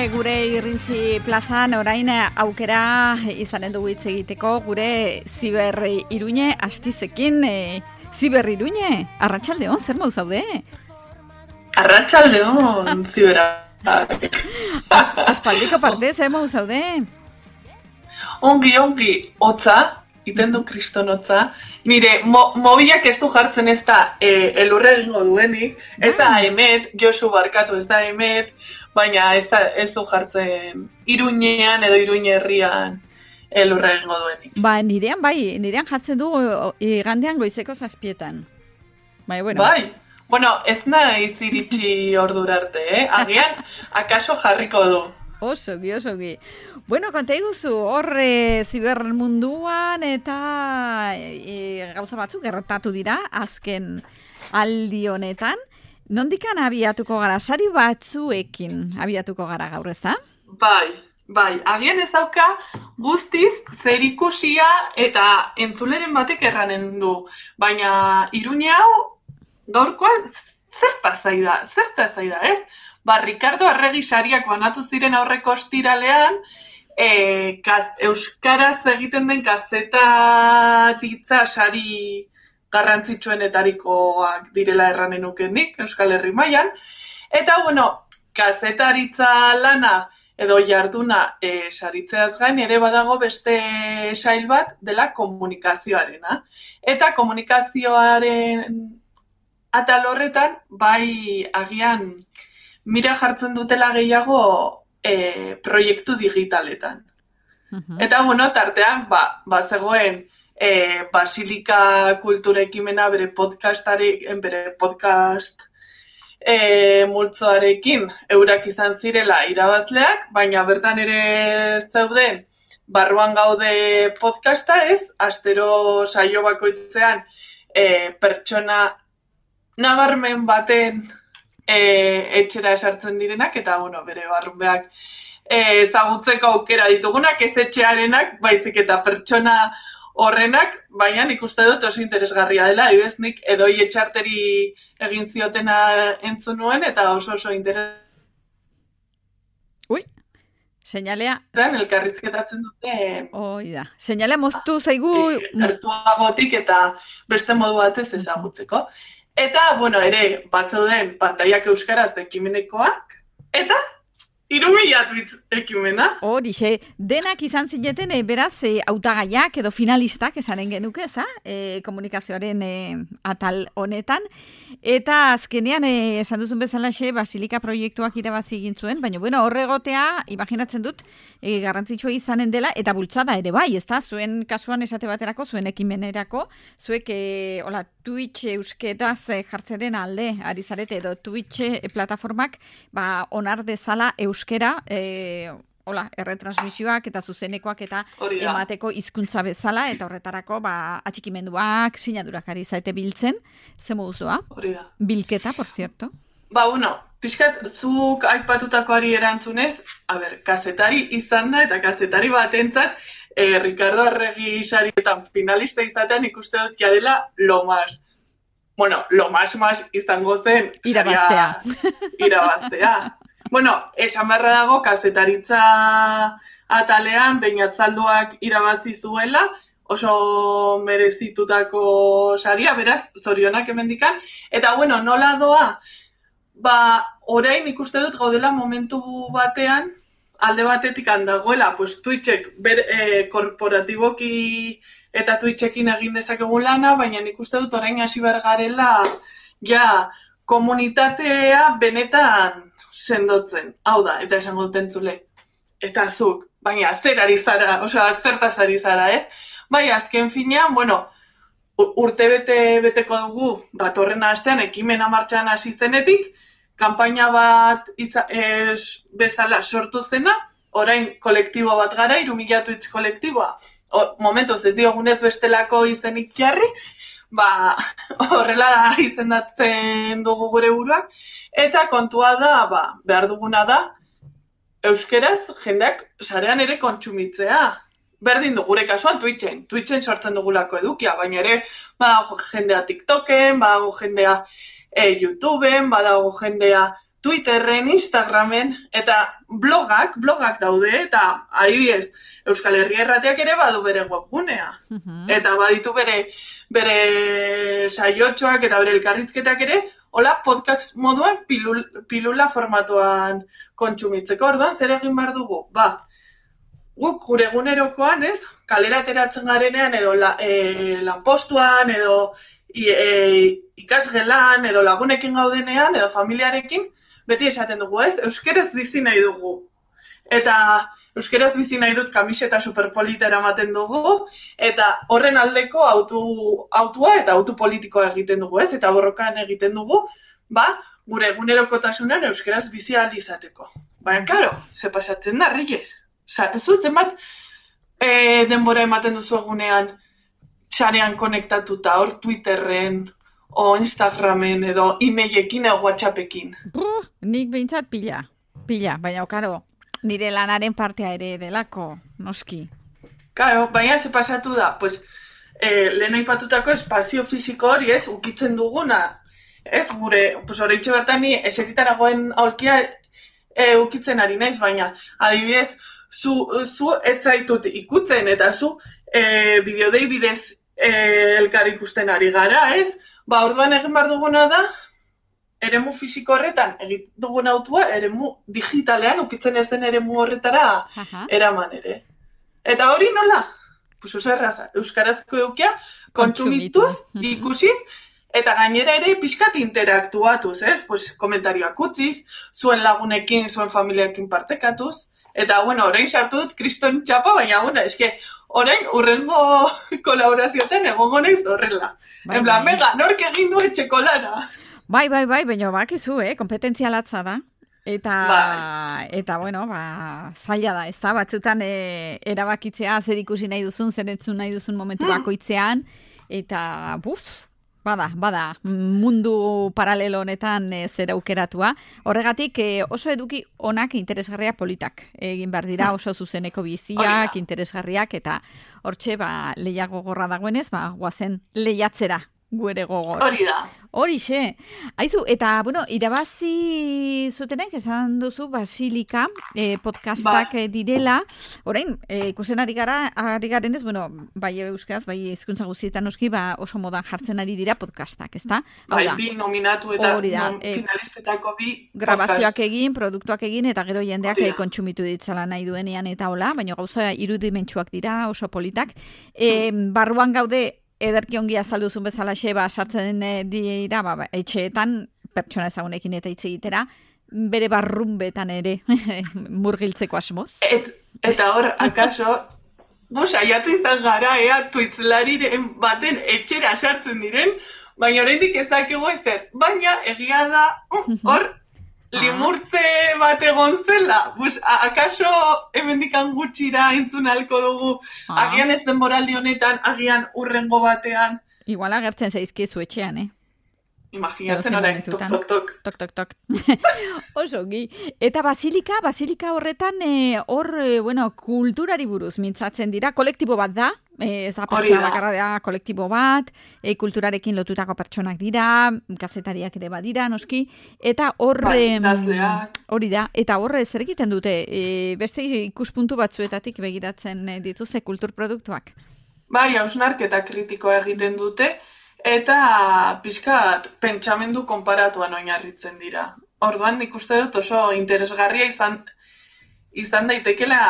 gure Irrintzi plazan orain aukera izanen dugu hitz egiteko gure Ziber Iruñe Astizekin. Ziber Iruñe, arratsaldeon, zer moduz zaude? Arratsaldeon, Zibera. Aspaldiko parte, zer moduz zaude? Ongi, hotza, iten du kriston hotza. Nire, mobilak ez du jartzen ez da elurre egingo duenik, ez da Emet, Josu barkatu ez da Emet, baina ez du jartzen Iruñean edo Iruñe herrian elurre egingo duenik. Nirean jartzen du igandean goizeko 7:00. Bueno, ez naiz iritsi ordura arte, agian, akaso jarriko du. Oso, Bueno, konta iguzu, hor zibermunduan eta gauza batzuk gertatu dira, azken aldi honetan. Nondikan abiatuko gara, sari batzuekin abiatuko gara gaur, ez da? Bai, agian ez dauka guztiz zerikusia eta entzuleren batek erranen du. Baina Iruñe hau gaurkoan zertaz zaida, ez? Ricardo Arregi sariak banatu ziren aurreko ostiralean, euskaraz egiten den kazetaritza sari garrantzitsuenetarikoak direla erranen nukenik, Euskal Herri mailan. Eta, kazetaritza lana edo jarduna saritzeaz gain ere badago beste sail bat dela komunikazioarena. Eta komunikazioaren atal horretan, bai agian mira jartzen dutela gehiago proiektu digitaletan. Eta, tartean, zegoen Basilika Kultura Ekimena bere podcast multzoarekin eurak izan zirela irabazleak, baina bertan ere zeuden barruan gaude podcasta ez, astero saio bakoitzean pertsona nabarmen baten etxera esartzen direnak, eta, bere barrunbeak ezagutzeko aukera ditugunak, ez etxearenak, baizik eta pertsona horrenak, baina nik uste dut oso interesgarria dela, nik edoi etxarteri egin ziotena entzun nuen, eta oso Seinalea. Elkarrizketatzen dute. Seinalea moztu zaigu. Gertuagotik eta beste modu batez ezagutzeko. Eta, ere, zeuden pantaiak euskaraz ekimenekoak, eta 3.000 tweets ekimena. Horixe, denak izan zineten, beraz, hautagaiak edo finalistak esanen genuke, komunikazioaren atal honetan. Eta azkenean, esan duzun bezalaxe, Basilika proiektuak irabazi egin zuen, baina, horregotea, imaginatzen dut, garrantzitsua izanen dela, eta bultzada ere bai, ezta? Zuen kasuan esate baterako, zuen ekimenerako, zuek, Twitch euskeraz jartzen alde, ari zarete, edo Twitch plataformak, onar dezala euskera, erretransmisioak eta zuzenekoak eta emateko hizkuntza bezala, eta horretarako, atxikimenduak, sinadurak ari zaite biltzen, ze moduzua? Bilketa, por cierto. Piskat, zuk aipatutakoari erantzunez, kazetari izan da, eta kazetari batentzat, Ricardo Arregi sarietan finalista izatean ikuste dut dela lo más. Lo más izango zen irabaztea. Esan beharra dago, kazetaritza atalean, Beñatzalduak irabazi zuela, oso merezitutako saria, beraz, zorionak hemendikan. Eta, nola doa, orain ikuste dut gaudela momentu batean, alde batetik handagoela, Twitchek korporatiboki eta Twitchekin egin dezakegun lana, baina ikuste dut orain hasi behar garela komunitatea benetan sendotzen. Hau da, eta esango dut entzule. Eta zuk, baina zer ari zara, zertaz ari zara, ez? Azken finean, urte beteko dugu, datorren astean, ekimena martxan hasi zenetik, kanpaina bat bezala sortu zena, orain kolektibo bat gara, 3.000 tweets kolektiboa. Momentuz ez diogunez bestelako izenik jarri, horrela izendatzen dugu gure buruak, eta kontua da, behar duguna da, euskeraz jendeak sarean ere kontsumitzea. Berdin du gure kasuan Twitchen sortzen dugulako edukia, baina ere badago jendea TikToken, badago jendea YouTubeen, badago jendea Twitterren, Instagramen, eta blogak daude, eta adibidez, Euskal Herria Irratiak ere badu bere webgunea. Eta baditu bere saiotxoak eta bere elkarrizketak ere, hola podcast moduan pilula formatuan kontsumitzeko. Orduan, zer egin behar dugu? Guk gure egunerokoan, ez? Kalera ateratzen garenean, edo lanpostuan, edo ikasgelan, edo lagunekin gaudenean, edo familiarekin, beti esaten dugu, ez? Euskeraz bizi nahi dugu. Eta euskeraz bizi nahi dut kamiseta superpolita eramaten dugu, eta horren aldeko autua eta autu politikoa egiten dugu, ez? Eta borrokan egiten dugu, gure egunerokotasunan euskeraz bizi ahal izateko. Baina, karo, ze pasatzen da, Reyes? Ez dut zenbat denbora ematen duzu egunean sarean konektatuta, hor Twitterren, o Instagramen, edo e-mailekin, edo WhatsAppekin. Nik behintzat pila, baina, karo, nire lanaren partea ere delako, noski. Karo, baina ze pasatu da, lehen aipatutako espazio fisiko hori, ez, ukitzen duguna, ez, gure, horreitxe bertan ni eserritaragoen aurkia ukitzen ari naiz, baina, adibidez, zu etzaitut ikutzen, eta zu bideodei bidez elkar ikusten ari gara, ez? Orduan egin behar duguna da, eremu fisiko horretan egin dugun autua, eremu digitalean ukitzen ez den eremu horretara eraman ere. Eta hori nola? Oso erraza, euskarazko eukia kontsumituz, ikusiz, eta gainera ere pixkat interaktuatuz, komentarioak utziz, zuen lagunekin, zuen familiakin partekatuz, eta, orain sartu dut kriston txapa, baina, orain urrengo kolaborazioetan egongo naiz horrela. En plan, mega, nork egin du etxeko lana. Bai, baina bakizu, kompetentzia latza da. Eta zaila da, ez da, batzutan erabakitzea zer ikusi nahi duzun, zer entzun nahi duzun momentu bakoitzean, eta, bada, mundu paralelo honetan zer aukeratua. Horregatik oso eduki onak interesgarria politak egin behar dira, oso zuzeneko biziak, interesgarriak, eta hortxe lehiak gogorra dagoenez, guazen lehiatzera guere gogor. Hori da. Horixe. Aizu, eta, irabazi zutenek, esan duzu, Basilika podcastak direla. Orain, ikusten ari garen ez, bai euskaraz, bai hizkuntza guztietan noski, oso modan jartzen ari dira podcastak, ezta? Bi nominatu eta finalistetako bi grabazioak egin, produktuak egin, eta gero jendeak kontsumitu ditzala nahi duenean eta hola, baina gauza irudimentsuak dira, oso politak. Barruan gaude, ederki ongi azalduzun bezala sartzen dira, etxeetan, pertsona ezagunekin eta hitz egitera, bere barrunbetan ere murgiltzeko asmoz. Eta hor, akaso, saiatu izan gara, tuitzlariren baten etxera sartzen diren, baina oraindik ezakegu ezer. Baina egia da, hor, limurtze bat egon zela. Akaso hemendikan gutxira entzun halko dugu, agian ez denboraldi honetan, agian urrengo batean. Igual agertzen zaizkizu etxean, Imaginatzen orain, tok. Oso, eta Basilika horretan, kulturari buruz mintzatzen dira, kolektibo bat da, ez da pertsona bakarra da, kolektibo bat, kulturarekin lotutako pertsonak dira, kazetariak ere badira, noski, eta hori da, eta horre zer egiten dute, beste ikuspuntu batzuetatik begiratzen dituzte kulturproduktuak? Bai, hausnarketa kritikoa egiten dute, eta pixkat pentsamendu konparatuan oinarritzen dira. Orduan nik uste dut oso interesgarria izan daitekela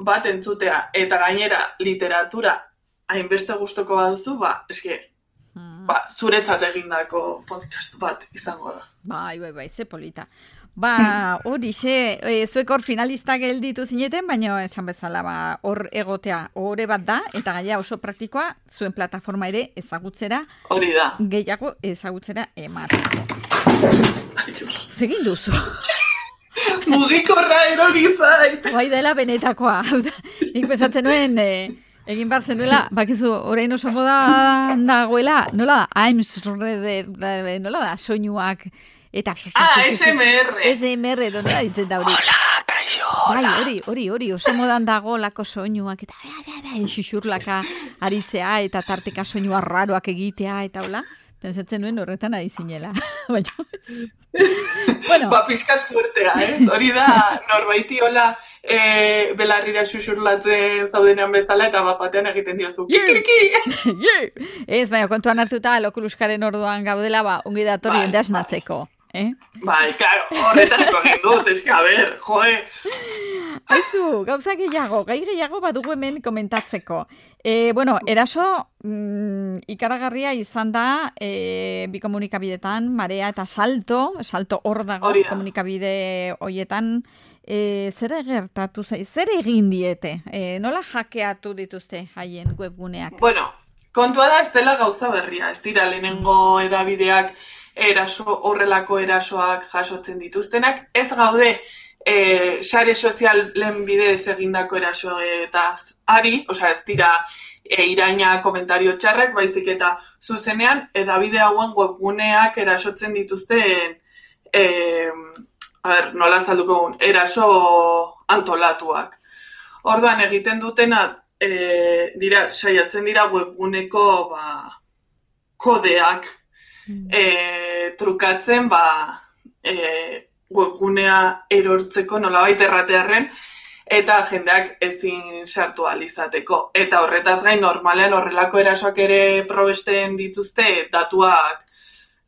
bat entzutea, eta gainera literatura hainbeste gustoko baduzu, zuretzat egindako podcast bat izango da. Bai, ze polita. Horixe, zuek hor finalista gelditu zineten, baina esan bezala hor egotea hore bat da, eta gaia oso praktikoa, zuen plataforma ere ezagutzera, hori da. Gehiago ezagutzera emateko. Zegin duzu. Mugikorra erori zait. Bai dela benetakoa. Nik pensatzen nuen, egin behar zenuela, bakizu, orain oso moda dagoela, nola da, nola da, soinuak, eta... SMR, donde da ditzen da hori. Hola, kaixo, hola. Bai, hori, oso modan dago lako soinuak, eta xuxurlaka aritzea, eta tarteka soinua raroak egitea, eta hola. Pensatzen nuen horretan ari zinela. Bueno. Ba, pizkat fuertea, hori da, norbaiti hola belarrira xuxurlatzen zaudenean bezala, eta batean egiten diozu, kikiriki! Ez, baina kontuan hartuta, lokuluskaren orduan gaudela, ongi datorri jende asnatzeko. Bai, claro, horretarako egin dut, eske, a ber, joe. Aizu, gauza gehiago, gai gehiago badugu hemen komentatzeko. Bueno, eraso ikaragarria izan da bi komunikabidetan, Marea eta Salto hor dago komunikabide hoietan, zer egertatu zai, zer egin diete? Nola hackeatu dituzte haien webguneak? Bueno, kontua da ez dela gauza berria, ez dira lehenengo edabideak horrelako erasoak jasotzen dituztenak, ez gaude sare sozialen bidez egindako erasoetaz ari, osea ez dira iraina komentario txarrak, baizik eta zuzenean edabide hauen webguneak erasotzen dituzten nola azalduko eraso antolatuak. Orduan egiten dutena saiatzen dira webguneko kodeak trukatzen webgunea erortzeko nolabait erratearren eta jendeak ezin sartu alizateko. Eta horretaz gain normalean horrelako erasoak ere probesten dituzte datuak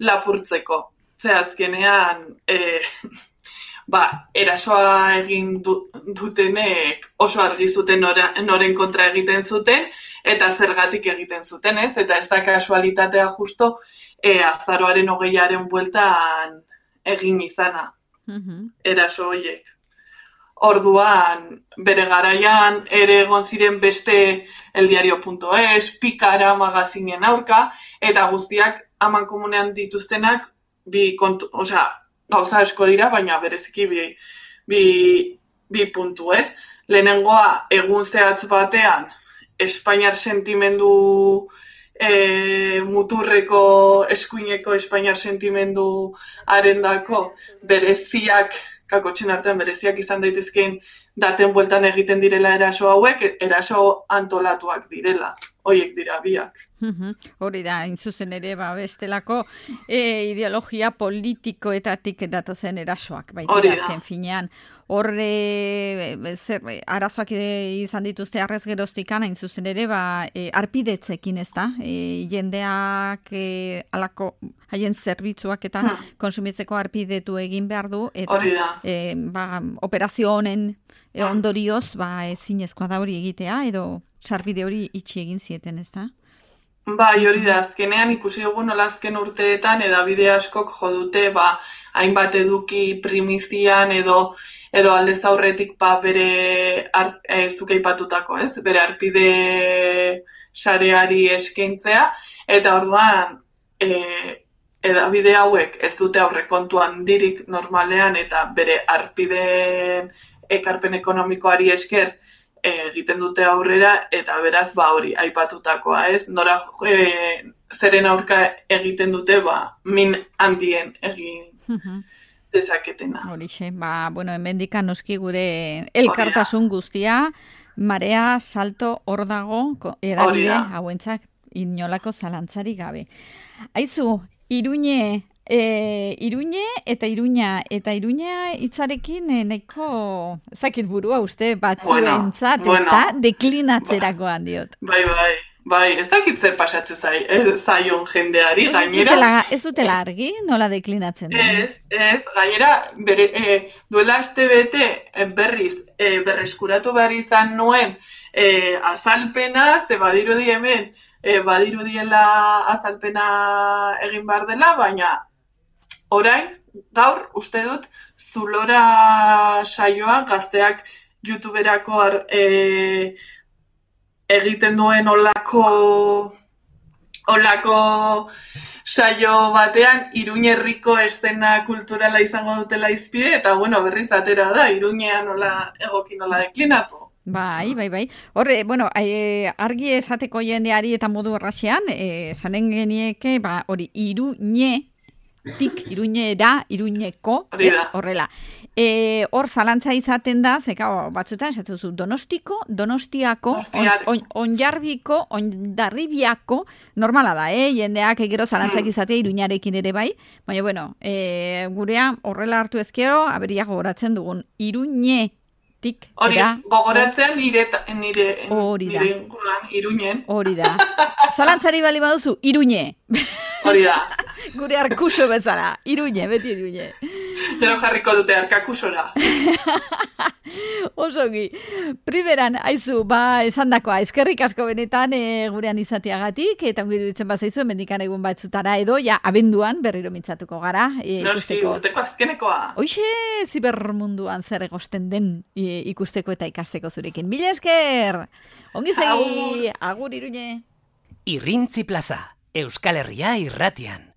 lapurtzeko. Ze azkenean erasoa egin dutenek oso argi zuten noren kontra egiten zuten eta zergatik egiten zuten, ez? Eta ez da kasualitatea justo azaroaren 20aren bueltan egin izana. Eraso horiek. Orduan, bere garaian ere egon ziren beste eldiario.es, Pikara magazinen aurka, eta guztiak aman komunean dituztenak gauza asko dira, baina bereziki bi puntu, ez? Lehenengoa, egun zehatz batean, Espainiar sentimendu muturreko eskuineko Espainiar sentimendu arendako bereziak, kakotxen artean bereziak izan daitezkeen daten bueltan egiten direla eraso hauek, eraso antolatuak direla. Hoiek dira biak. Hori da, inzuzen ere, bestelako ideologia politikoetatik datozen erasoak. Baita, azken finean, arazoak izan dituzte arrez geroztikan, hain zuzen ere, arpidetzekin ez da, jendeak alako haien zerbitzuak eta konsumitzeko arpidetu egin behar du, eta operazio honen ondorioz, ezinezkoa da hori egitea, edo sarbide hori itxi egin zieten, ez da? Bai, hori da, azkenean ikusi dugu nola azken urteetan edabide askok jodute hainbat eduki primizian edo aldez aurretik bere zuk aipatutako, ez? Bere arpide sareari eskaintzea, eta orduan edabide hauek ez dute aurrekontu handirik normalean eta bere arpideen ekarpen ekonomikoari esker egiten dute aurrera, eta beraz hori aipatutakoa, ez? Nora zeren aurka egiten dute min handien egin dezaketena. Horixe, hemendikan noski gure elkartasun guztia, Marea, Salto, hor dago, edabide hauentzak inolako zalantzari gabe. Aizu, Iruñe eta Iruña hitzarekin nahiko zakit burua uste batzuentzat, ez da, deklinatzerakoan diot. Bai, ez dakit zer pasatzen zaion jendeari, gainera. Ez dutela argi, nola deklinatzen da? Ez, gainera, duela aste bete berriz berreskuratu behar izan nuen azalpena, ze badirudi hemen, badirudiela azalpena egin behar dela, baina orain, gaur, uste dut, Zulora saioa gazteak YouTuberako egiten duen olako saio batean Iruñerriko eszena kulturala izango dutela izpide, eta berriz atera da, Iruñean egoki nola deklinatu. Bai. Horre, argi esateko jendeari eta modu erraxean, esanen genieke, hori, Iruñe tik, Iruñera, Iruñeko, Hori ez, da. horrela. Hor zalantza izaten da, zeka, batzutan, esatu zu, Donostiako, Onjarbiko, Ondarribiako, normala da, jendeak gero zalantzak izatea Iruñarekin ere bai, baina, bueno, gurea horrela hartu ezkero, aberiak gogoratzen dugun, Iruñe, hori, gogoratzean nire inguruan, Iruñen. Hori da. Zalantzari bali baduzu, Iruñe. Hori da. Gure arkuso bezala, Iruñe, beti Iruñe. Gero jarriko dute arkakusora. Osogi. Primeran, aizu, esandakoa, eskerrik asko benetan gurean izateagatik, eta ongi duditzen bazaizu, mendikan egun batzutara edo, ja, abenduan berriro mintzatuko gara. Noski, urteko azkenekoa. Hoixe, zibermunduan zer egosten den ikusteko eta ikasteko zurekin. Mila esker! Ongi segi, agur Iruñe! Irrintzi Plaza, Euskal Herria irratian.